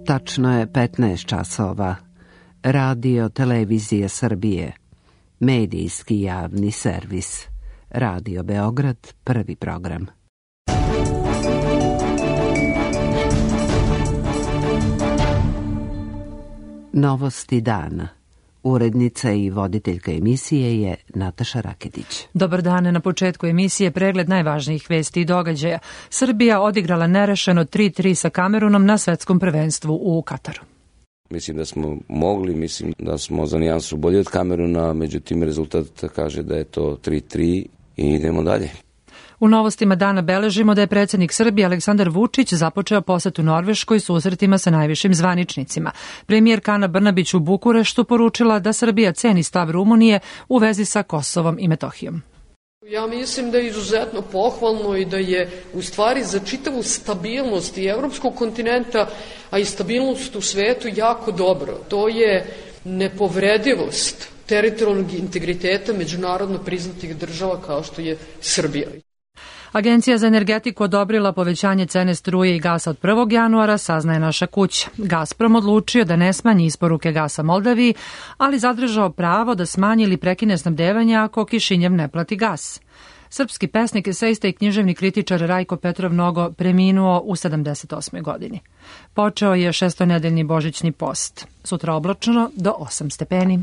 Tačno je 15 časova. Radio Televizija Srbije. Medijski javni servis. Radio Beograd, prvi program. Novosti dana. Urednica i voditeljka emisije je Nataša Raketić. Dobar dan, na početku emisije pregled najvažnijih vesti i događaja. Srbija odigrala nerešeno 3-3 sa Kamerunom na svetskom prvenstvu u Kataru. Mislim da smo mogli, mislim da smo za nijansu bolji od Kameruna, međutim rezultat kaže da je to 3-3 i idemo dalje. U novostima dana beležimo da je predsjednik Srbije Aleksandar Vučić započeo posetu Norveškoj susretima sa najvišim zvaničnicima. Premijerka Ana Brnabić u Bukureštu poručila da Srbija ceni stav Rumunije u vezi sa Kosovom i Metohijom. Ja mislim da je izuzetno pohvalno i da je u stvari za čitavu stabilnost i evropskog kontinenta, a i stabilnost u svetu jako dobro. To je nepovredivost teritorijalnog integriteta međunarodno priznatih država kao što je Srbija. Agencija za energetiku odobrila povećanje cene struje i gasa od 1. januara, saznaje naša kuća. Gazprom odlučio da ne smanji isporuke gasa Moldaviji, ali zadržao pravo da smanji ili prekine snabdevanje ako Kišinjev ne plati gas. Srpski pesnik, esejista i književni kritičar Rajko Petrov Nogo preminuo u 78. godini. Počeo je šestonedeljni božićni post. Sutra oblačno do 8 stepeni.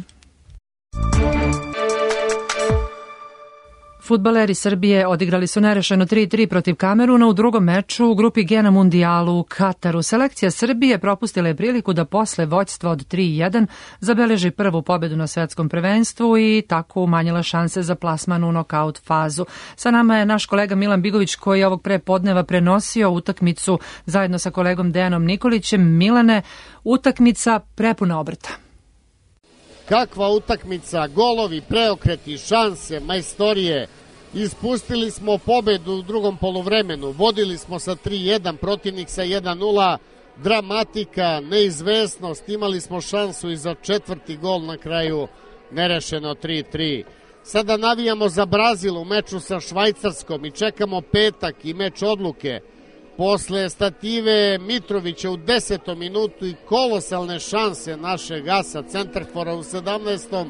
Fudbaleri Srbije odigrali su nerešeno 3-3 protiv Kameruna u drugom meču u grupi G na mundijalu u Kataru. Selekcija Srbije propustila je priliku da posle vođstva od 3-1 zabeleži prvu pobedu na svetskom prvenstvu i tako umanjila šanse za plasman u nokaut fazu. Sa nama je naš kolega Milan Bigović koji je ovog prepodneva prenosio utakmicu zajedno sa kolegom Dejanom Nikolićem. Milane, utakmica prepuna obrta. Kakva utakmica, golovi, preokreti, šanse, majstorije. Ispustili smo pobedu u drugom poluvremenu, vodili smo sa 3-1, protivnik sa 1-0, dramatika, neizvesnost, imali smo šansu i za četvrti gol, na kraju nerešeno 3-3. Sada navijamo za Brazil u meču sa Švajcarskom i čekamo petak i meč odluke. Posle stative Mitrovića u 10. minutu i kolosalne šanse našeg gasa, centarfora u 17.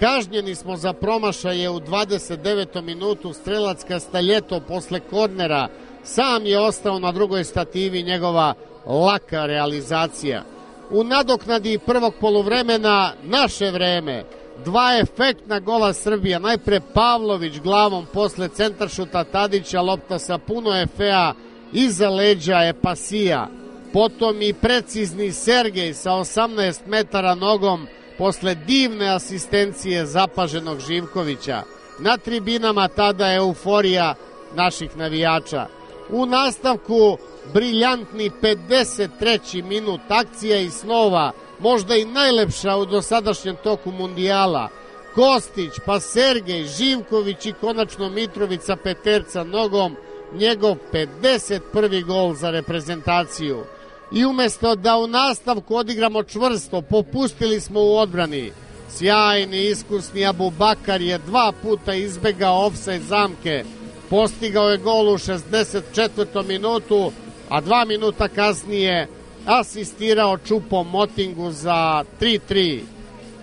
Kažnjeni smo za promašaje u 29. minutu, strelac Castaljetto posle kornera sam je ostao na drugoj stativi, njegova laka realizacija. U nadoknadi prvog poluvremena naše vreme, dva efektna gola Srbija, najpre Pavlović glavom posle centaršuta Tadića, lopta sa puno efea, iza leđa je Pasija, potom i precizni Sergej sa 18 metara nogom posle divne asistencije zapaženog Živkovića. Na tribinama tada euforija naših navijača. U nastavku briljantni 53. minut, akcija i snova, možda i najlepša u dosadašnjem toku mundijala. Kostić, pa Sergej, Živković i konačno Mitrovica peterca nogom, njegov 51. gol za reprezentaciju. I umesto da u nastavku odigramo čvrsto, popustili smo u odbrani. Sjajni, iskusni Abubakar je 2 puta izbegao ofsajd zamke. Postigao je gol u 64. minutu, a 2 minuta kasnije asistirao Čupo Motingu za 3-3.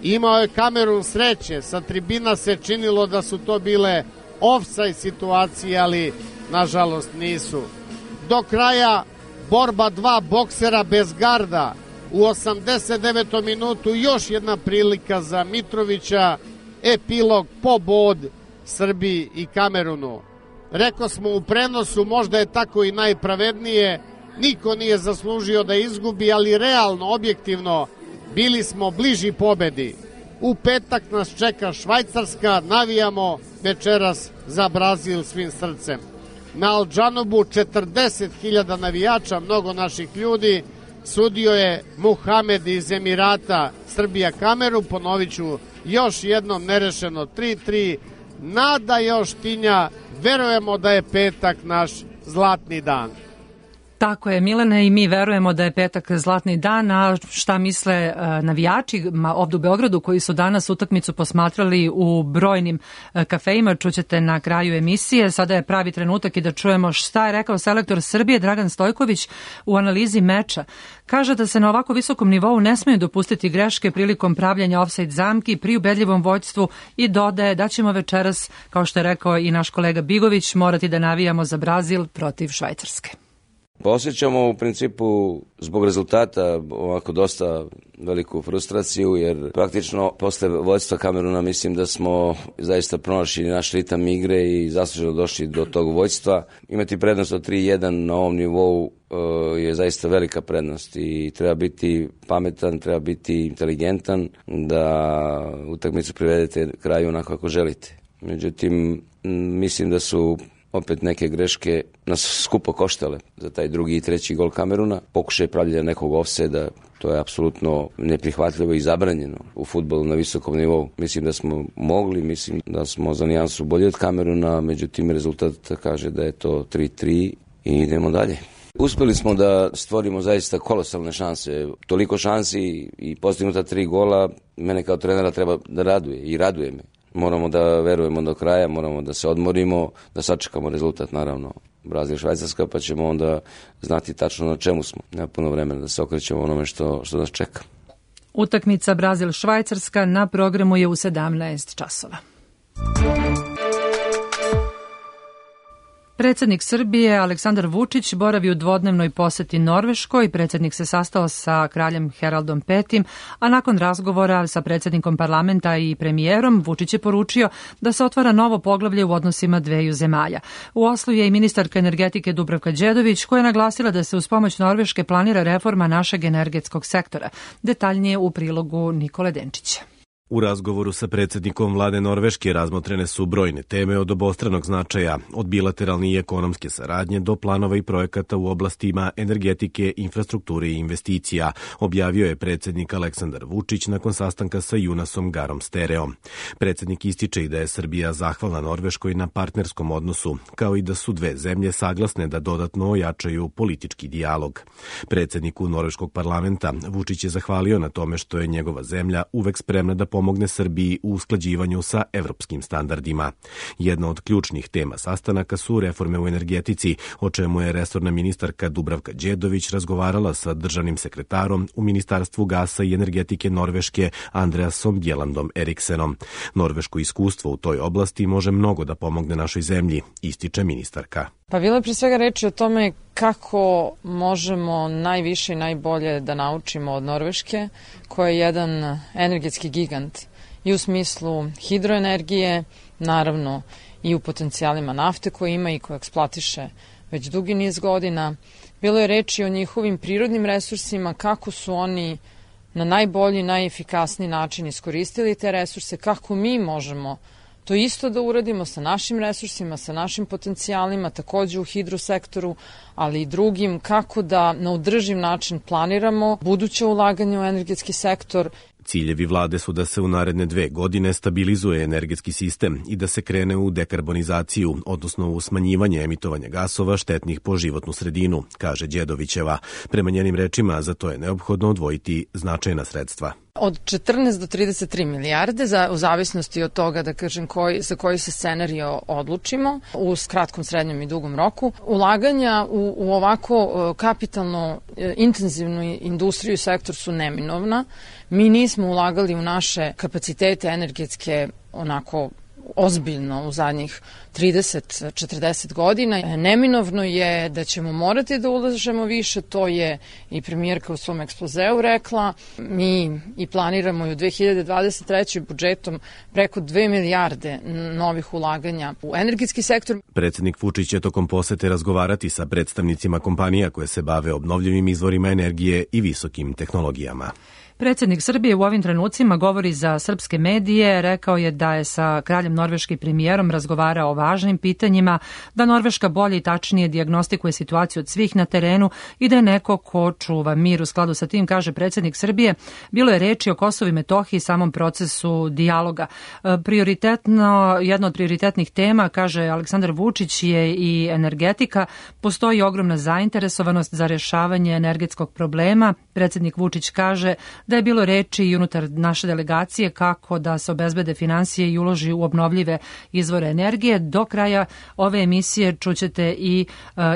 Imao je Kamerun sreće, sa tribina se činilo da su to bile ofsajd situacije, ali nažalost nisu. Do kraja borba dva boksera bez garda. U 89. minutu još jedna prilika za Mitrovića, epilog pobod Srbiji i Kamerunu. Rekao smo u prenosu, možda je tako i najpravednije, niko nije zaslužio da izgubi, ali realno, objektivno, bili smo bliži pobedi. U petak nas čeka Švajcarska, navijamo večeras za Brazil svim srcem. Na Aldžanobu 40.000 navijača, mnogo naših ljudi, sudio je Muhamed iz Emirata, Srbija Kameru, ponovit ću još jednom nerešeno 3-3, nada još tinja, verujemo da je petak naš zlatni dan. Tako je, Milene, i mi verujemo da je petak zlatni dan, a šta misle navijači ovdje u Beogradu koji su danas utakmicu posmatrali u brojnim kafejima, čućete na kraju emisije. Sada je pravi trenutak i da čujemo šta je rekao selektor Srbije Dragan Stojković u analizi meča. Kaže da se na ovako visokom nivou ne smeju dopustiti greške prilikom pravljanja ofsajd zamki pri ubedljivom vođstvu i dodaje da ćemo večeras, kao što je rekao i naš kolega Bigović, morati da navijamo za Brazil protiv Švajcarske. Pa osjećamo u principu zbog rezultata ovako dosta veliku frustraciju, jer praktično posle vođstva Kameruna mislim da smo zaista pronašli naš ritam igre i zasluženo došli do tog vođstva. Imati prednost od 3-1 na ovom nivou je zaista velika prednost i treba biti pametan, treba biti inteligentan da utakmicu privedete kraju onako kako želite. Međutim, mislim da su opet neke greške nas skupo koštale za taj drugi i treći gol Kameruna. Pokušaj pravljanja nekog ofsajda, to je apsolutno neprihvatljivo i zabranjeno u fudbalu na visokom nivou. Mislim da smo mogli, mislim da smo za nijansu bolji od Kameruna, međutim rezultat kaže da je to 3-3 i idemo dalje. Uspeli smo da stvorimo zaista kolosalne šanse, toliko šansi i postignuta 3 gola, mene kao trenera treba da raduje i raduje me. Moramo da verujemo do kraja, moramo da se odmorimo, da sačekamo rezultat, naravno, Brazil Švajcarska, pa ćemo onda znati tačno na čemu smo. Nema puno vremena da se okrećemo onome što nas čeka. Utakmica Brazil Švajcarska na programu je u 17 časova. Predsjednik Srbije Aleksandar Vučić boravi u dvodnevnoj poseti Norveškoj. Predsjednik se sastao sa kraljem Heraldom V, a nakon razgovora sa predsjednikom parlamenta i premijerom Vučić je poručio da se otvara novo poglavlje u odnosima dveju zemalja. U Oslu je i ministarka energetike Dubravka Đedović koja je naglasila da se uz pomoć Norveške planira reforma našeg energetskog sektora. Detaljnije u prilogu Nikole Denčića. U razgovoru sa predsjednikom vlade Norveške razmotrene su brojne teme od obostranog značaja, od bilateralne i ekonomske saradnje do planova i projekata u oblastima energetike, infrastrukture i investicija, objavio je predsjednik Aleksandar Vučić nakon sastanka sa Jonasom Garom Stereom. Predsjednik ističe i da je Srbija zahvalna Norveškoj na partnerskom odnosu, kao i da su dve zemlje saglasne da dodatno ojačaju politički dijalog. Predsjedniku Norveškog parlamenta Vučić je zahvalio na tome što je njegova zemlja uvek spremna da pomogne Srbiji u usklađivanju sa evropskim standardima. Jedna od ključnih tema sastanaka su reforme u energetici, o čemu je resorna ministarka Dubravka Đedović razgovarala sa državnim sekretarom u Ministarstvu gasa i energetike Norveške Andreasom Bjelandom Eriksenom. Norveško iskustvo u toj oblasti može mnogo da pomogne našoj zemlji, ističe ministarka. Pa bilo je prije svega reči o tome kako možemo najviše i najbolje da naučimo od Norveške, koja je jedan energetski gigant i u smislu hidroenergije, naravno i u potencijalima nafte koje ima i koje eksploatiše već dugi niz godina. Bilo je reči o njihovim prirodnim resursima, kako su oni na najbolji, najefikasniji način iskoristili te resurse, kako mi možemo to isto da uradimo sa našim resursima, sa našim potencijalima, takođe u hidrosektoru, ali i drugim, kako da na održiv način planiramo buduće ulaganje u energetski sektor. Ciljevi vlade su da se u naredne 2 godine stabilizuje energetski sistem i da se krene u dekarbonizaciju, odnosno u smanjivanje emitovanja gasova štetnih po životnu sredinu, kaže Đedovićeva. Prema njenim rečima, za to je neophodno odvojiti značajna sredstva. Od 14 do 33 milijarde, u zavisnosti od toga, da kažem, za koji se scenario odlučimo, u kratkom, srednjem i dugom roku. Ulaganja u ovako kapitalno intenzivnu industriju i sektor su neminovna. Mi nismo ulagali u naše kapacitete energetske onako ozbiljno u zadnjih 30-40 godina. Neminovno je da ćemo morati da ulažemo više, to je i premijerka u svom ekspozeu rekla. Mi i planiramo i u 2023. budžetom preko 2 milijarde novih ulaganja u energetski sektor. Predsjednik Vučić će tokom posete razgovarati sa predstavnicima kompanija koje se bave obnovljivim izvorima energije i visokim tehnologijama. Predsjednik Srbije u ovim trenucima govori za srpske medije, rekao je da je sa kraljem norveškim premijerom razgovarao o važnim pitanjima, da Norveška bolje i tačnije dijagnostikuje situaciju od svih na terenu i da je neko ko čuva mir. U skladu sa tim, kaže predsjednik Srbije, bilo je reči o Kosovu i Metohiji i samom procesu dijaloga. Jedna od prioritetnih tema, kaže Aleksandar Vučić, je i energetika. Postoji ogromna zainteresovanost za rješavanje energetskog problema. Predsjednik Vučić kaže da je bilo reči i unutar naše delegacije kako da se obezbede finansije i uloži u obnovljive izvore energije. Do kraja ove emisije čućete i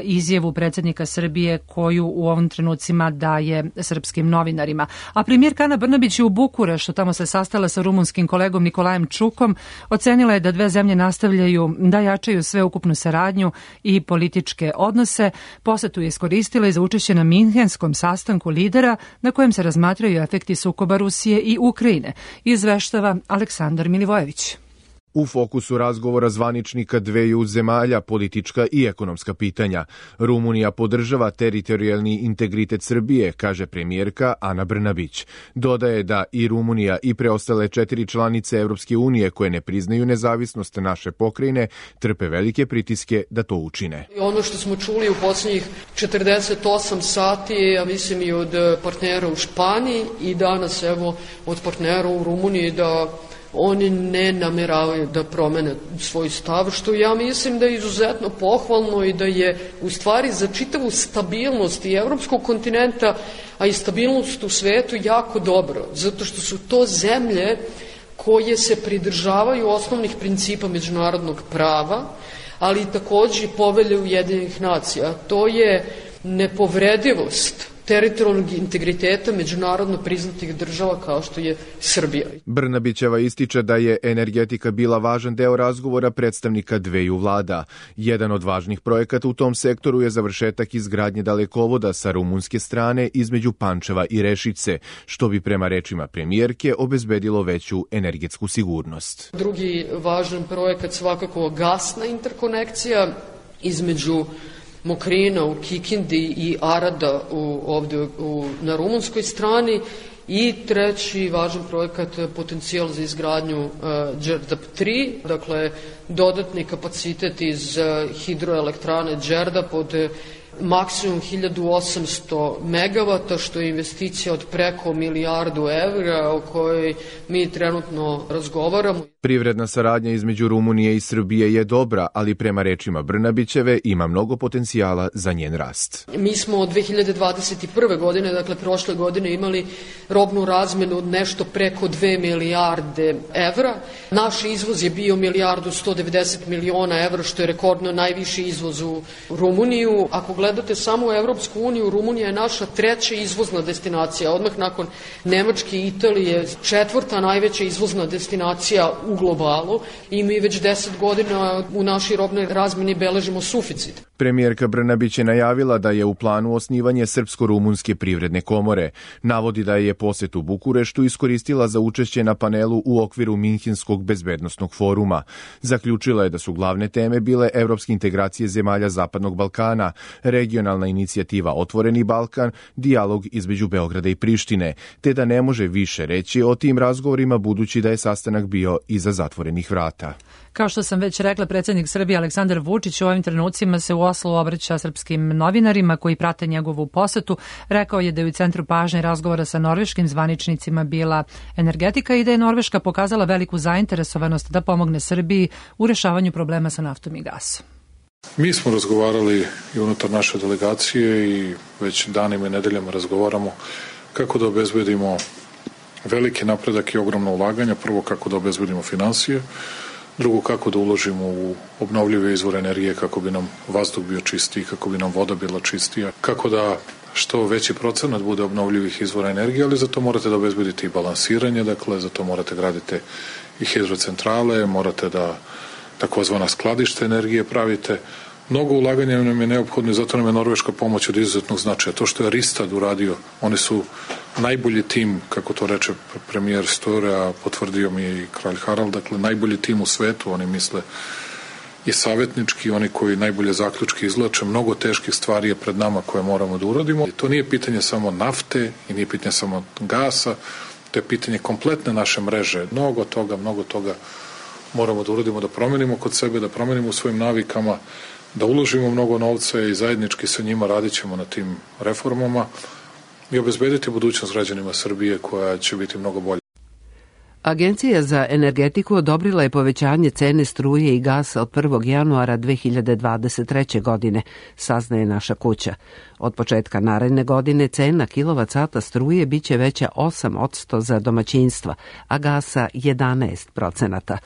izjavu predsjednika Srbije koju u ovim trenucima daje srpskim novinarima. A premijerka Ana Brnabić je u Bukureštu, tamo se sastala sa rumunskim kolegom Nikolajem Čukom, ocenila je da dve zemlje nastavljaju da jačaju sveukupnu saradnju i političke odnose. Posetu je iskoristila i za učešće na Minhenskom sastanku lidera na kojem se razmatraju efekti sukoba Rusije i Ukrajine, izveštava Aleksandar Milivojević. U fokusu razgovora zvaničnika dveju zemalja politička i ekonomska pitanja. Rumunija podržava teritorijalni integritet Srbije, kaže premijerka Ana Brnabić. Dodaje da i Rumunija i preostale 4 članice Evropske unije koje ne priznaju nezavisnost naše pokrajine trpe velike pritiske da to učine. Ono što smo čuli u posljednjih 48 sati, ja mislim i od partnera u Španiji i danas evo od partnera u Rumuniji, da oni ne nameravaju da promene svoj stav, što ja mislim da je izuzetno pohvalno i da je u stvari za čitavu stabilnost i evropskog kontinenta, a i stabilnost u svetu jako dobro, zato što su to zemlje koje se pridržavaju osnovnih principa međunarodnog prava, ali i takođe Povelje Ujedinjenih nacija. To je nepovredivost teritorijalnog integriteta međunarodno priznatih država kao što je Srbija. Brnabićeva ističe da je energetika bila važan deo razgovora predstavnika dveju vlada. Jedan od važnih projekata u tom sektoru je završetak izgradnje dalekovoda sa rumunske strane između Pančeva i Rešice, što bi prema rečima premijerke obezbedilo veću energetsku sigurnost. Drugi važan projekat svakako gasna interkonekcija između Mokrina u Kikindi i Arada ovdje na rumunskoj strani i treći važan projekat potencijal za izgradnju Đerdap 3, dakle dodatni kapacitet iz hidroelektrane Đerdap od maksimum 1800 megavata, što je investicija od preko 1 milijardu evra o kojoj mi trenutno razgovaramo. Privredna saradnja između Rumunije i Srbije je dobra, ali prema rečima Brnabićeve ima mnogo potencijala za njen rast. Mi smo od 2021. godine, dakle prošle godine, imali robnu razmenu od nešto preko 2 milijarde evra. Naš izvoz je bio 1.190.000.000 evra, što je rekordno najviši izvoz u Rumuniju. Ako gledate samo u Evropsku uniju, Rumunija je naša treća izvozna destinacija, odmah nakon Nemačke i Italije, 4. najveća izvozna destinacija u globalu i mi već 10 godina u našoj robnoj razmeni beležimo suficit. Premijerka Brnabić je najavila da je u planu osnivanje Srpsko-rumunske privredne komore. Navodi da je posjet u Bukureštu iskoristila za učešće na panelu u okviru Minhenskog bezbednosnog foruma. Zaključila je da su glavne teme bile evropske integracije zemalja Zapadnog Balkana, regionalna inicijativa Otvoreni Balkan, dijalog između Beograda i Prištine, te da ne može više reći o tim razgovorima budući da je sastanak bio iza zatvorenih vrata. Kao što sam već rekla, predsjednik Srbije Aleksandar Vučić u ovim trenucima se u Oslu obraća srpskim novinarima koji prate njegovu posetu. Rekao je da je u centru pažnje razgovora sa norveškim zvaničnicima bila energetika i da je Norveška pokazala veliku zainteresovanost da pomogne Srbiji u rješavanju problema sa naftom i gasom. Mi smo razgovarali i unutar naše delegacije i već danima i nedeljama razgovaramo kako da obezbedimo veliki napredak i ogromno ulaganja. Prvo, kako da obezbedimo finansije, drugo, kako da uložimo u obnovljive izvore energije kako bi nam vazduh bio čistiji, kako bi nam voda bila čistija, kako da što veći procenat bude obnovljivih izvora energije, ali za to morate da obezbedite i balansiranje, dakle za to morate graditi i hidrocentrale, morate da takozvana skladište energije pravite. Mnogo ulaganja nam je neophodno i zato nam je norveška pomoć od izuzetnog značaja. To što je Ristad uradio, oni su najbolji tim, kako to reče premijer Støre, a potvrdio mi je i kralj Harald, dakle najbolji tim u svetu, oni misle i savjetnički, oni koji najbolje zaključke izvlače. Mnogo teških stvari je pred nama koje moramo da uradimo. I to nije pitanje samo nafte i nije pitanje samo gasa, to je pitanje kompletne naše mreže. Mnogo toga moramo da uradimo, da promenimo kod sebe, da promenimo u svojim navikama, da uložimo mnogo novca i zajednički sa njima radit ćemo na tim reformama i obezbediti budućnost građanima Srbije koja će biti mnogo bolja. Agencija za energetiku odobrila je povećanje cene struje i gasa od 1. januara 2023. godine, saznaje Naša kuća. Od početka naredne godine cena kilovat-sata struje biće veća 8% za domaćinstva, a gasa 11%.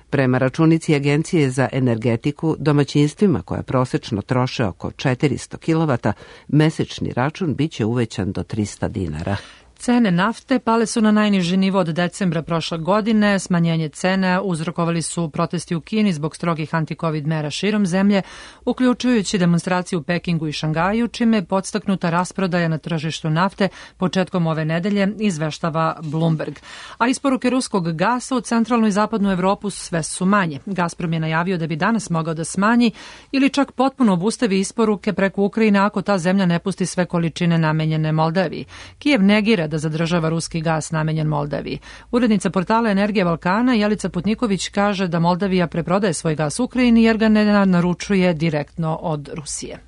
Prema računici Agencije za energetiku, domaćinstvima koja prosečno troše oko 400 kW, mesečni račun biće uvećan do 300 dinara. Cene nafte pale su na najniži nivo od decembra prošle godine. Smanjenje cene uzrokovali su protesti u Kini zbog strogih anti-covid mera širom zemlje, uključujući demonstraciju u Pekingu i Šangaju, čime je podstaknuta rasprodaja na tržištu nafte početkom ove nedelje, izveštava Bloomberg. A isporuke ruskog gasa u centralnu i zapadnu Evropu sve su manje. Gazprom je najavio da bi danas mogao da smanji ili čak potpuno obustavi isporuke preko Ukrajine ako ta zemlja ne pusti sve količine namenjene Moldaviji. Kijev negira da zadržava ruski gas namenjen Moldaviji. Urednica portala Energija Balkana Jelica Putniković kaže da Moldavija preprodaje svoj gas Ukrajini jer ga ne naručuje direktno od Rusije.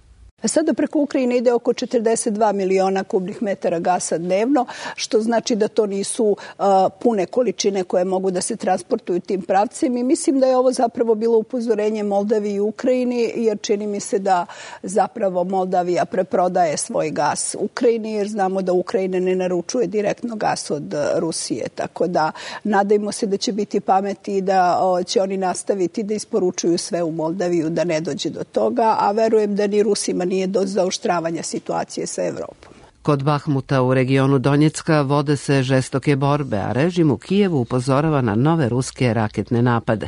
Sada preko Ukrajine ide oko 42 miliona kubnih metara gasa dnevno, što znači da to nisu pune količine koje mogu da se transportuju tim pravcem i mislim da je ovo zapravo bilo upozorenje Moldaviji i Ukrajini, jer čini mi se da zapravo Moldavija preprodaje svoj gas Ukrajini, jer znamo da Ukrajina ne naručuje direktno gas od Rusije, tako da nadajmo se da će biti pameti i da će oni nastaviti da isporučuju sve u Moldaviju, da ne dođe do toga, a verujem da ni Rusima nije do zaoštravanja situacije sa Evropom. Kod Bahmuta u regionu Donjecka vode se žestoke borbe, a režim u Kijevu upozorava na nove ruske raketne napade.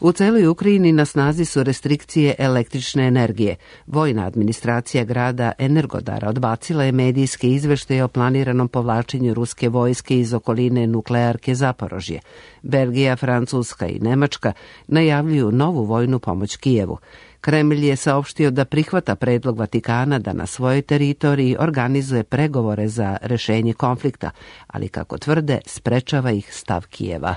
U celoj Ukrajini na snazi su restrikcije električne energije. Vojna administracija grada Energodara odbacila je medijske izveštaje o planiranom povlačenju ruske vojske iz okoline nuklearke Zaporožje. Belgija, Francuska i Nemačka najavljuju novu vojnu pomoć Kijevu. Kremlj je saopštio da prihvata predlog Vatikana da na svojoj teritoriji organizuje pregovore za rešenje konflikta, ali kako tvrde, sprečava ih stav Kijeva.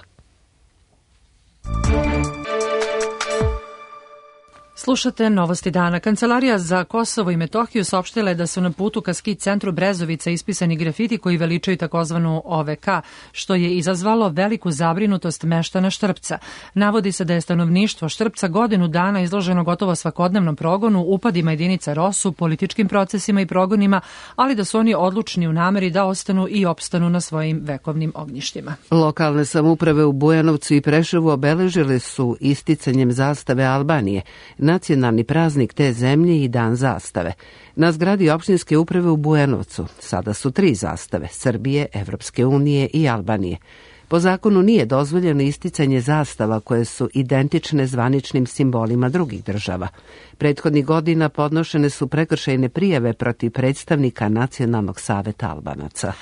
Slušate Novosti dana. Kancelarija za Kosovo i Metohiju saopštila je da su na putu ka ski centru Brezovica ispisani grafiti koji veličaju takozvanu OVK, što je izazvalo veliku zabrinutost meštana Štrpca. Navodi se da je stanovništvo Štrpca godinu dana izloženo gotovo svakodnevnom progonu, upadima jedinica ROSU, političkim procesima i progonima, ali da su oni odlučni u nameri da ostanu i opstanu na svojim vekovnim ognjištima. Lokalne samouprave u Bujanovcu i Preševu obeležile su isticanjem zastave Albanije, nacionalni praznik te zemlje i dan zastave. Na zgradi opštinske uprave u Bujanovcu sada su 3 zastave, Srbije, Evropske unije i Albanije. Po zakonu nije dozvoljeno isticanje zastava koje su identične zvaničnim simbolima drugih država. Prethodnih godina podnošene su prekršajne prijave protiv predstavnika Nacionalnog saveta Albanaca.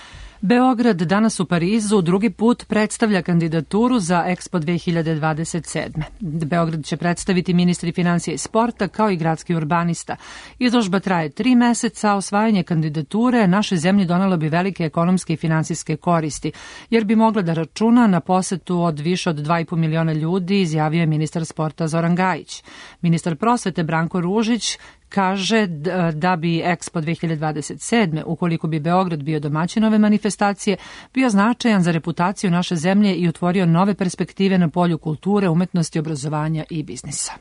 Beograd danas u Parizu drugi put predstavlja kandidaturu za Expo 2027. Beograd će predstaviti ministri financija i sporta kao i gradski urbanista. Izložba traje 3 meseca, a osvajanje kandidature našoj zemlji donelo bi velike ekonomske i finansijske koristi, jer bi mogla da računa na posetu od više od 2,5 miliona ljudi, izjavio je ministar sporta Zoran Gajić. Ministar prosvete Branko Ružić kaže da bi Expo 2027. ukoliko bi Beograd bio domaćin ove manifestacije, bio značajan za reputaciju naše zemlje i otvorio nove perspektive na polju kulture, umetnosti, obrazovanja i biznisa.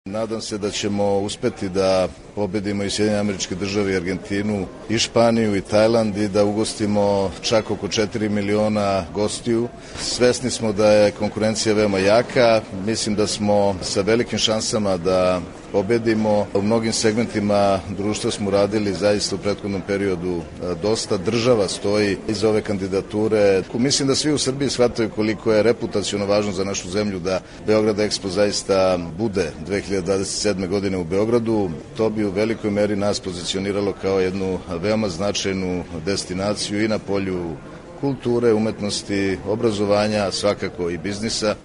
Nadam se da ćemo uspeti da pobedimo i Sjedinjene Američke Države i Argentinu i Španiju i Tajland i da ugostimo čak oko 4 miliona gostiju. Svesni smo da je konkurencija veoma jaka, mislim da smo sa velikim šansama da pobedimo. U mnogim segmentima društva smo radili zaista u prethodnom periodu dosta. Država stoji iza ove kandidature. Mislim da svi u Srbiji shvataju koliko je reputaciono važno za našu zemlju da Beograd Expo zaista bude 2027. godine u Beogradu. To bi u velikoj meri nas pozicioniralo kao jednu veoma značajnu destinaciju i na polju kulture, umetnosti, obrazovanja, svakako i biznisa.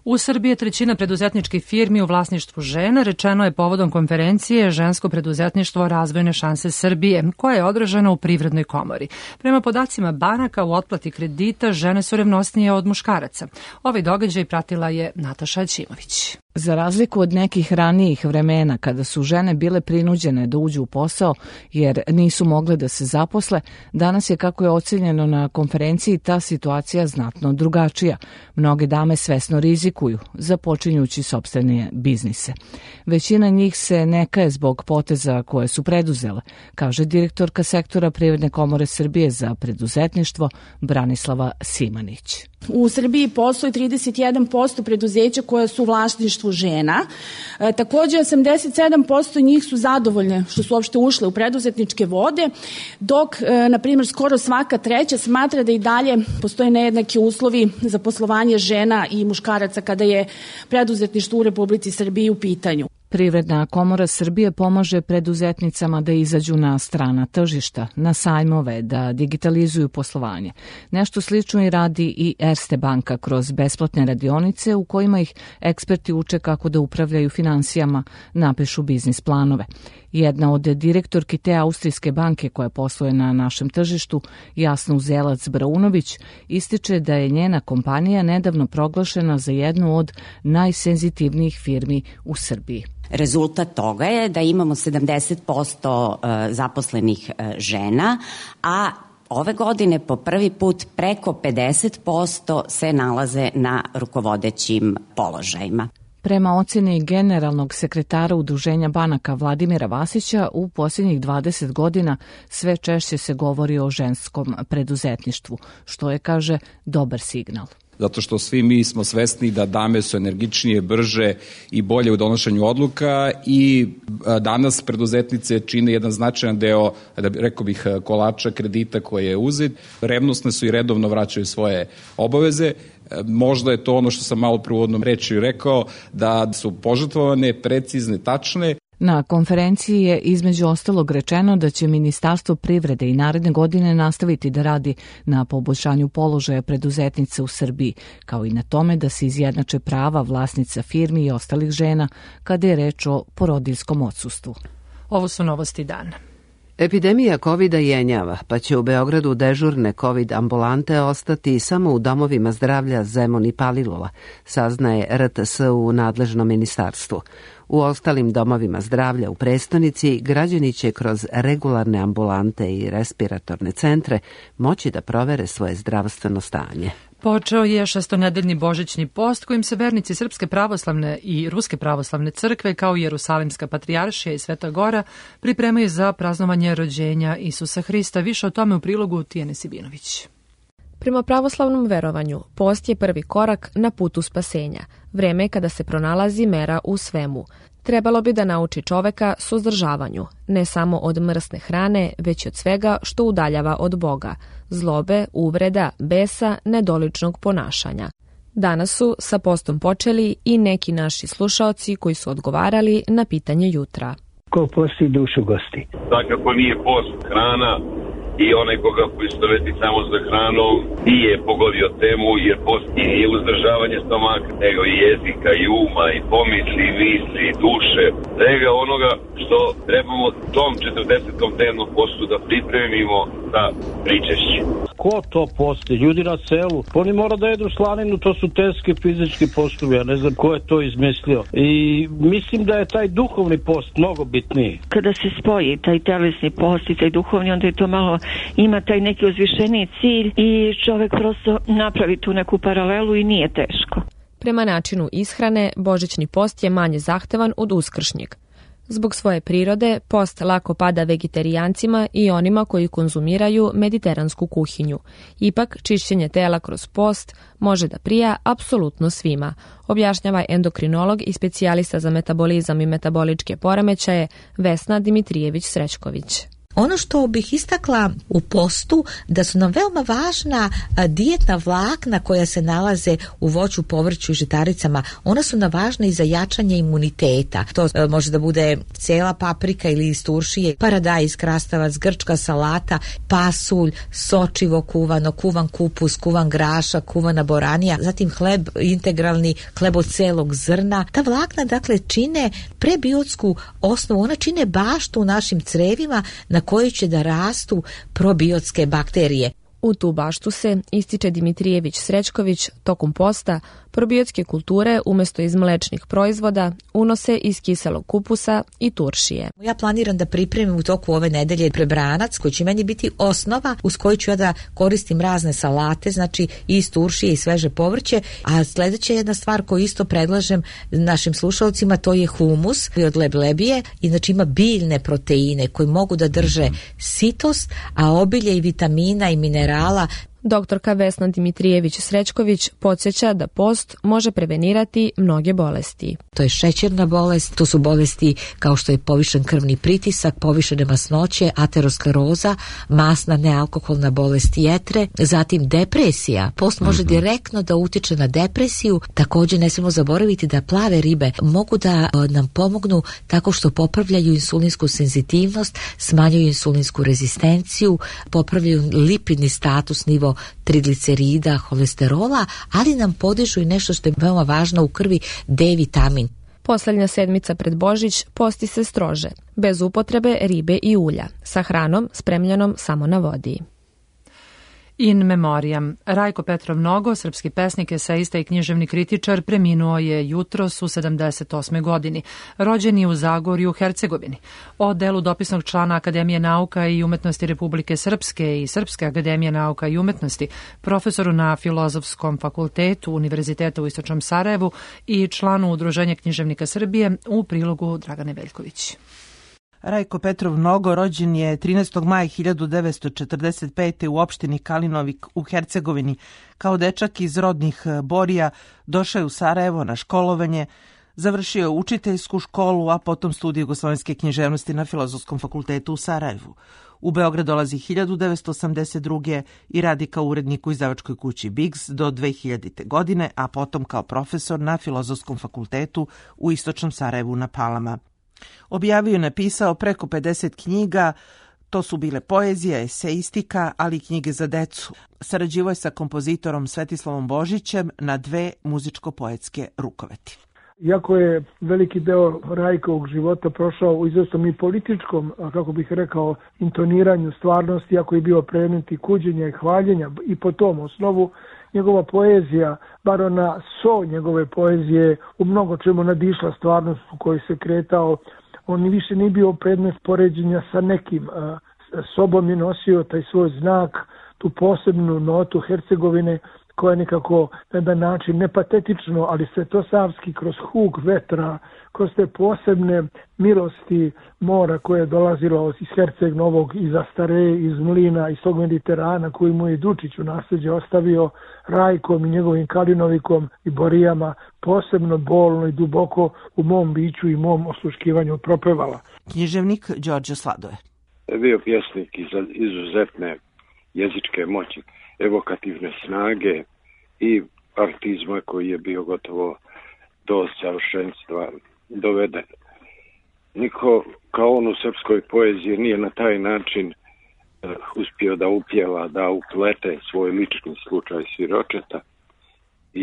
U Srbiji je trećina preduzetničkih firmi u vlasništvu žena, rečeno je povodom konferencije Žensko preduzetništvo razvojne šanse Srbije, koja je održana u Privrednoj komori. Prema podacima banaka u otplati kredita žene su revnosnije od muškaraca. Ovaj događaj pratila je Nataša Ćimović. Za razliku od nekih ranijih vremena kada su žene bile prinuđene da uđu u posao jer nisu mogle da se zaposle, danas je, kako je ocenjeno na konferenciji, ta situacija znatno drugačija. Mnoge dame svesno rizikuju, započinjući sopstvene biznise. Većina njih se ne kaje zbog poteza koje su preduzele, kaže direktorka sektora Privredne komore Srbije za preduzetništvo Branislava Simanić. U Srbiji postoji 31% preduzeća koja su u vlasništvu žena. Takođe, 87% njih su zadovoljne što su uopšte ušle u preduzetničke vode, dok, na primjer, skoro svaka treća smatra da i dalje postoje nejednaki uslovi za poslovanje žena i muškaraca kada je preduzetništvo u Republici Srbiji u pitanju. Privredna komora Srbije pomaže preduzetnicama da izađu na strana tržišta, na sajmove, da digitalizuju poslovanje. Nešto slično i radi i Erste banka kroz besplatne radionice u kojima ih eksperti uče kako da upravljaju finansijama, napišu biznis planove. Jedna od direktorki te austrijske banke koja posluje na našem tržištu, Jasna Uzelac-Braunović, ističe da je njena kompanija nedavno proglašena za jednu od najsenzitivnijih firmi u Srbiji. Rezultat toga je da imamo 70% zaposlenih žena, a ove godine po prvi put preko 50% se nalaze na rukovodećim položajima. Prema oceni generalnog sekretara Udruženja banaka Vladimira Vasića, u posljednjih 20 godina sve češće se govori o ženskom preduzetništvu, što je, kaže, dobar signal. Zato što svi mi smo svesni da dame su energičnije, brže i bolje u donošenju odluka i danas preduzetnice čine jedan značajan deo, rekao bih, kolača kredita koje je uzet. Revnosne su i redovno vraćaju svoje obaveze. Možda je to ono što sam malo prvo reći rekao, da su požrtvovane, precizne, tačne. Na konferenciji je između ostalog rečeno da će Ministarstvo privrede i naredne godine nastaviti da radi na poboljšanju položaja preduzetnica u Srbiji, kao i na tome da se izjednače prava vlasnica firmi i ostalih žena kada je reč o porodiljskom odsustvu. Ovo su novosti dana. Epidemija COVID-a jenjava, pa će u Beogradu dežurne COVID ambulante ostati samo u domovima zdravlja Zemun i Palilula, saznaje RTS u nadležnom ministarstvu. U ostalim domovima zdravlja u prestonici građani će kroz regularne ambulante i respiratorne centre moći da provere svoje zdravstveno stanje. Počeo je šestonedeljni božićni post kojim se vernici Srpske pravoslavne i Ruske pravoslavne crkve kao i Jerusalimska patrijaršija i Sveta Gora pripremaju za praznovanje rođenja Isusa Hrista. Više o tome u prilogu Tijane Sibinović. Prema pravoslavnom verovanju, post je prvi korak na putu spasenja, vreme kada se pronalazi mera u svemu. Trebalo bi da nauči čoveka suzdržavanju, ne samo od mrsne hrane, već od svega što udaljava od Boga, zlobe, uvreda, besa, nedoličnog ponašanja. Danas su sa postom počeli i neki naši slušaoci koji su odgovarali na pitanje jutra. Ko posti dušu gosti? Svakako nije post hrana i onaj koga poistoveti samo za hranom nije pogodio temu, jer post nije uzdržavanje stomaka, nego i jezika i uma i pomisli i misli i duše, nego onoga što trebamo tom 40. dnevnom postu da pripremimo za pričešće. Ko to posti? Ljudi na selu. Oni mora da jedu slaninu, to su teški fizički postovi, ja ne znam ko je to izmislio. I mislim da je taj duhovni post mnogo bitniji. Kada se spoji taj telesni post i taj duhovni, onda je to malo ima taj neki uzvišeniji cilj i čovek prosto napravi tu neku paralelu i nije teško. Prema načinu ishrane, božićni post je manje zahtevan od uskršnjeg. Zbog svoje prirode, post lako pada vegetarijancima i onima koji konzumiraju mediteransku kuhinju. Ipak, čišćenje tela kroz post može da prija apsolutno svima, objašnjava endokrinolog i specijalista za metabolizam i metaboličke poremećaje Vesna Dimitrijević-Srećković. Ono što bih istakla u postu, da su nam veoma važna dijetna vlakna koja se nalaze u voću, povrću i žitaricama. Ona su nam važna i za jačanje imuniteta. To može da bude cijela paprika ili iz turšije, paradajz, krastavac, grčka salata, pasulj, sočivo kuvano, kuvan kupus, kuvan grašak, kuvana boranija, zatim hleb integralni, hleb od celog zrna. Ta vlakna dakle čine prebiotsku osnovu, ona čine baštu u našim crevima na kojoj će da rastu probiotske bakterije. U tu baštu se, ističe Dimitrijević Srećković, tokom posta probiotske kulture umjesto iz mlečnih proizvoda unose iz kiselog kupusa i turšije. Ja planiram da pripremim u toku ove nedelje prebranac koji će meni biti osnova uz koju ću ja da koristim razne salate, znači i iz turšije i sveže povrće. A sljedeća jedna stvar koju isto predlažem našim slušalcima, to je humus od leblebije i znači ima biljne proteine koji mogu da drže sitost, a obilje i vitamina i minerala. Doktorka Vesna Dimitrijević Srećković podsjeća da post može prevenirati mnoge bolesti. To je šećerna bolest, to su bolesti kao što je povišen krvni pritisak, povišene masnoće, ateroskleroza, masna nealkoholna bolest jetre, zatim depresija. Post može direktno da utiče na depresiju. Također ne smijemo zaboraviti da plave ribe mogu da nam pomognu tako što popravljaju insulinsku senzitivnost, smanjuju insulinsku rezistenciju, popravljaju lipidni status, nivo triglicerida, holesterola, ali nam podižu i nešto što je veoma važno u krvi, D vitamin. Posljednja sedmica pred Božić posti se strože, bez upotrebe ribe i ulja, sa hranom spremljenom samo na vodi. In memoriam. Rajko Petrov Nogo, srpski pesnik, eseista i književni kritičar, preminuo je jutros u 78. godini. Rođen je u Zagorju, Hercegovini. O delu dopisnog člana Akademije nauka i umetnosti Republike Srpske i Srpske akademije nauka i umetnosti, profesoru na Filozofskom fakultetu Univerziteta u Istočnom Sarajevu i članu Udruženja književnika Srbije, u prilogu Dragane Veljković. Rajko Petrov Nogo rođen je 13. maja 1945. u opštini Kalinovik u Hercegovini. Kao dečak iz rodnih Borija došao je u Sarajevo na školovanje, završio je učiteljsku školu, a potom studij jugoslovenske književnosti na Filozofskom fakultetu u Sarajevu. U Beograd dolazi 1982. i radi kao urednik u izdavačkoj kući Biggs do 2000. godine, a potom kao profesor na Filozofskom fakultetu u Istočnom Sarajevu na Palama. Objavio i napisao preko 50 knjiga, to su bile poezija, eseistika, ali i knjige za decu. Sarađivao je sa kompozitorom Svetislavom Božićem na 2 muzičko-poetske rukoveti. Iako je veliki deo Rajkovog života prošao u izvesnom i političkom, kako bih rekao, intoniranju stvarnosti, iako je bio predmet i kuđenja i hvaljenja, i po tom osnovu njegova poezija, bar ona njegove poezije, u mnogo čemu nadišla stvarnost u kojoj se kretao. On više nije bio predmet poređenja sa nekim. Sobom je nosio taj svoj znak, tu posebnu notu Hercegovine, koja je nekako na jedan način nepatetično, ali svetosavski, kroz huk vetra, kroz te posebne milosti mora koje je dolazilo iz Herceg Novog, iz Astare, iz Mlina, iz tog Mediterana koji mu je Dučić u nasljeđe ostavio, Rajkom i njegovim Kalinovikom i Borijama, posebno bolno i duboko u mom biću i mom osluškivanju propevala. Književnik Đorđe Sladoje. Bio pjesnik izuzetne jezičke moći, evokativne snage i artizma koji je bio gotovo do savršenstva doveden. Niko kao on u srpskoj poeziji nije na taj način uspio da upjeva, da uplete svoj lični slučaj siročeta i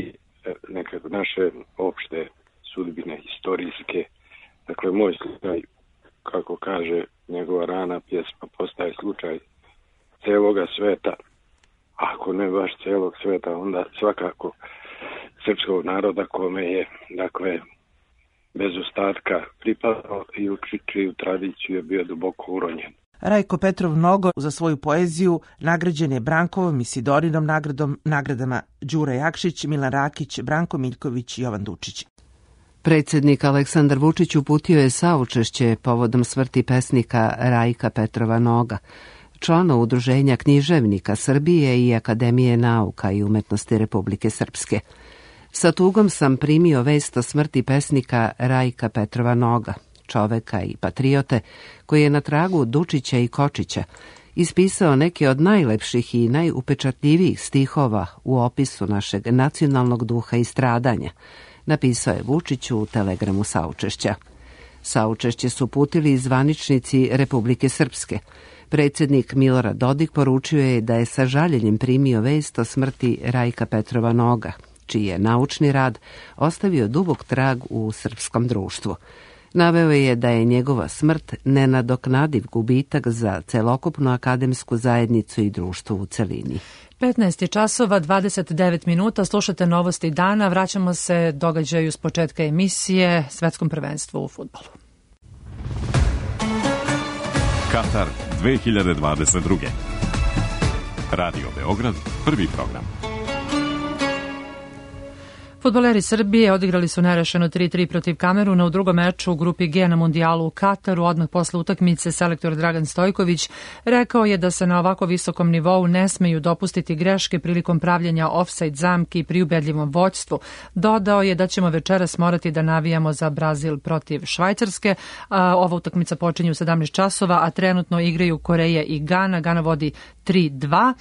nekako naše opšte sudbine historijske. Dakle, moj slučaj, kako kaže njegova rana pjesma, postaje slučaj celoga sveta. Ako ne baš celog sveta, onda svakako srpskog naroda kome je, dakle, bez ostatka pripadao i u čiju tradiciju je bio duboko uronjen. Rajko Petrov Nogo za svoju poeziju nagrađen je Brankovom i Sidorinom nagradom, nagradama Đura Jakšić, Milan Rakić, Branko Miljković i Jovan Dučić. Predsjednik Aleksandar Vučić uputio je saučešće povodom smrti pesnika Rajka Petrova Noga, člana Udruženja književnika Srbije i Akademije nauka i umetnosti Republike Srpske. Sa tugom sam primio vest o smrti pesnika Rajka Petrova Noga, čoveka i patriote, koji je na tragu Dučića i Kočića ispisao neke od najlepših i najupečatljivijih stihova u opisu našeg nacionalnog duha i stradanja, napisao je Vučiću u telegramu saučešća. Saučešće su uputili i zvaničnici Republike Srpske. Predsjednik Milorad Dodik poručio je da je sa žaljenjem primio vest o smrti Rajka Petrova Noga, čiji je naučni rad ostavio dubok trag u srpskom društvu. Naveo je da je njegova smrt nenadoknadiv gubitak za celokupnu akademsku zajednicu i društvo u celini. 15 časova, 29 minuta, slušate novosti dana, vraćamo se događaju s početka emisije Svetskom prvenstvu u fudbalu. Katar 2022. Radio Beograd, prvi program. Fudbaleri Srbije odigrali su nerešeno 3-3 protiv Kameruna u drugom meču u grupi G na mundijalu u Kataru. Odmah posle utakmice selektor Dragan Stojković rekao je da se na ovako visokom nivou ne smeju dopustiti greške prilikom pravljenja ofsajd zamki pri ubedljivom vođstvu. Dodao je da ćemo večeras morati da navijamo za Brazil protiv Švajcarske. Ova utakmica počinje u 17 časova, a trenutno igraju Koreja i Gana. Gana vodi 3-2.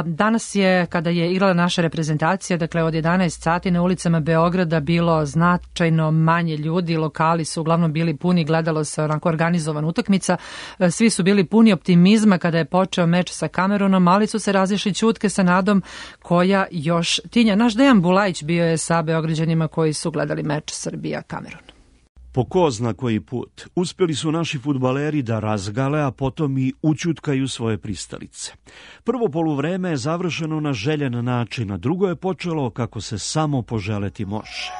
Danas je, kada je igrala naša reprezentacija, dakle od 11 sati na ulicama Beograda bilo značajno manje ljudi, lokali su uglavnom bili puni, gledalo se onako organizovana utakmica, svi su bili puni optimizma kada je počeo meč sa Kamerunom, ali su se razišli ćutke sa nadom koja još tinja. Naš Dejan Bulajić bio je sa Beograđanima koji su gledali meč Srbija-Kamerun. Po ko zna koji put, uspjeli su naši fudbaleri da razgale, a potom i ućutkaju svoje pristalice. Prvo poluvreme je završeno na željen način, a drugo je počelo kako se samo poželeti može.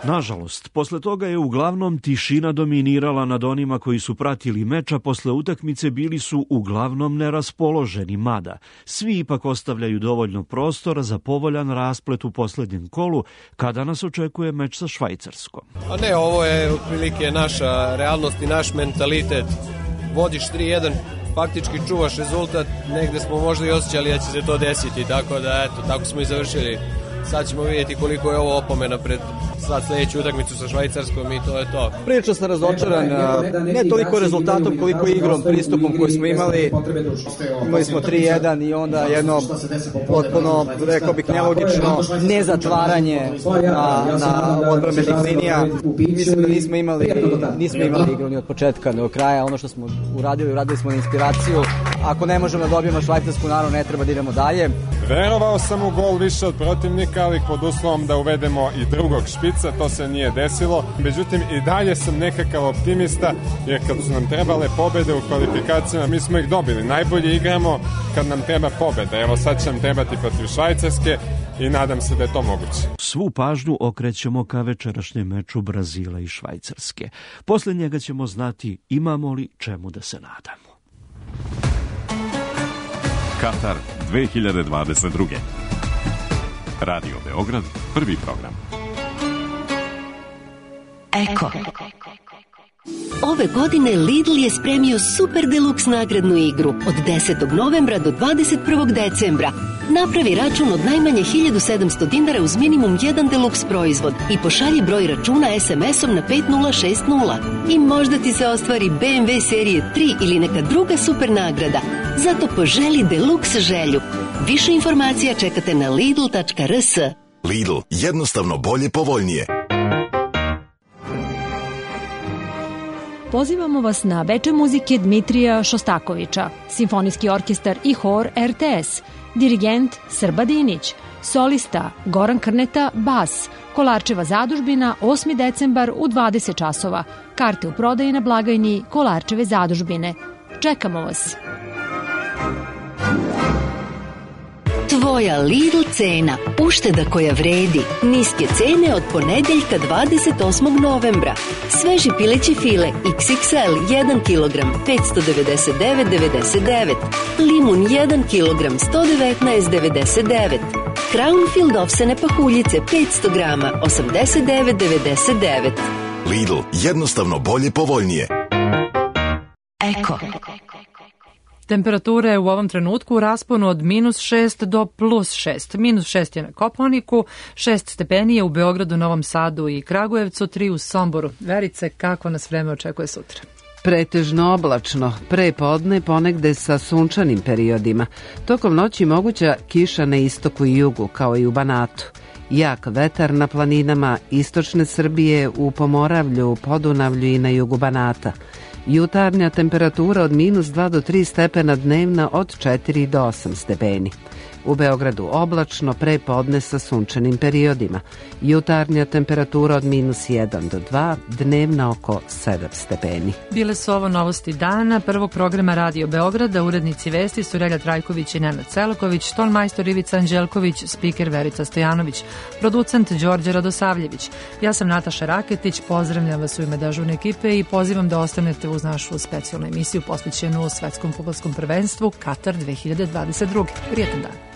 Nažalost, posle toga je uglavnom tišina dominirala nad onima koji su pratili meč, a posle utakmice bili su uglavnom neraspoloženi, mada svi ipak ostavljaju dovoljno prostora za povoljan rasplet u posljednjem kolu, kada nas očekuje meč sa Švajcarskom. A ne, ovo je otprilike naša realnost i naš mentalitet. Vodiš 3-1, faktički čuvaš rezultat, negde smo možda i osjećali da će se to desiti, tako da eto, tako smo i završili. Sad ćemo vidjeti koliko je ovo opomena pred sad sljedeću utakmicu sa Švajcarskom i to je to. Prilično sam razočaran, ne toliko rezultatom koliko igrom, pristupom koji smo imali. Imali smo 3-1 i onda jedno potpuno, rekao bih, nelogično nezatvaranje na odbrambenih linija. Mislim da nismo imali igru ni od početka do kraja. Ono što smo uradili smo na inspiraciju. Ako ne možemo da dobijemo Švajcarsku, naravno ne treba da idemo dalje. Verovao sam u gol više od protivnika, ali pod uslovom da uvedemo i drugog špica, to se nije desilo. Međutim, i dalje sam nekakav optimista, jer kad su nam trebale pobede u kvalifikacijama, mi smo ih dobili. Najbolje igramo kad nam treba pobeda. Evo sad će nam trebati protiv Švajcarske i nadam se da je to moguće. Svu pažnju okrećemo ka večerašnjem meču Brazila i Švajcarske. Posle njega ćemo znati imamo li čemu da se nadamo. Katar 2022. Radio Beograd, prvi program. Eko. Ove godine Lidl je spremio super deluks nagradnu igru od 10. novembra do 21. decembra. Napravi račun od najmanje 1700 dinara uz minimum jedan deluks proizvod i pošalji broj računa SMS-om na 5060 i možda ti se ostvari BMW serije 3 ili neka druga super nagrada. Zato poželi deluks želju. Više informacija čekate na lidl.rs. Lidl, jednostavno bolje, povoljnije. Pozivamo vas na veče muzike Dmitrija Šostakovića, simfonijski orkestar i hor RTS, dirigent Srba Dinić, solista Goran Krneta, bas, Kolarčeva zadužbina, 8. decembar u 20 časova. Karte u prodaji na blagajni Kolarčeve zadužbine. Čekamo vas. Tvoja Lidl cena, ušteda koja vredi. Niske cene od ponedeljka 28. novembra. Sveži pileći file XXL 1 kg 599,99. Limun 1 kg 119,99. Crownfield ovsene pahuljice 500 grama 89,99. Lidl, jednostavno bolje, povoljnije. Eko. Temperature u ovom trenutku u rasponu od -6 do +6. -6 je na Kopaoniku, 6 stepeni je u Beogradu, Novom Sadu i Kragujevcu, 3 u Somboru. Verice, kako nas vreme očekuje sutra? Pretežno oblačno, pre podne ponegde sa sunčanim periodima. Tokom noći moguća kiša na istoku i jugu, kao i u Banatu. Jak vetar na planinama istočne Srbije, u Pomoravlju, Podunavlju i na jugu Banata. Jutarnja temperatura od -2 do 3 stepena, dnevna od 4 do 8 stepeni. U Beogradu oblačno, pre podne sa sunčanim periodima. Jutarnja temperatura od -1 do 2, dnevna oko 7 stepeni. Bile su ovo novosti dana prvog programa Radio Beograda. Urednici vesti su Relja Trajković i Nenad Selaković, tonmajstor Ivica Anđelković, spiker Verica Stojanović, producent Đorđe Radosavljević. Ja sam Nataša Raketić, pozdravljam vas u ime dežurne ekipe i pozivam da ostanete uz našu specijalnu emisiju posvećenu Svetskom fudbalskom prvenstvu Katar 2022. Prijetan dan.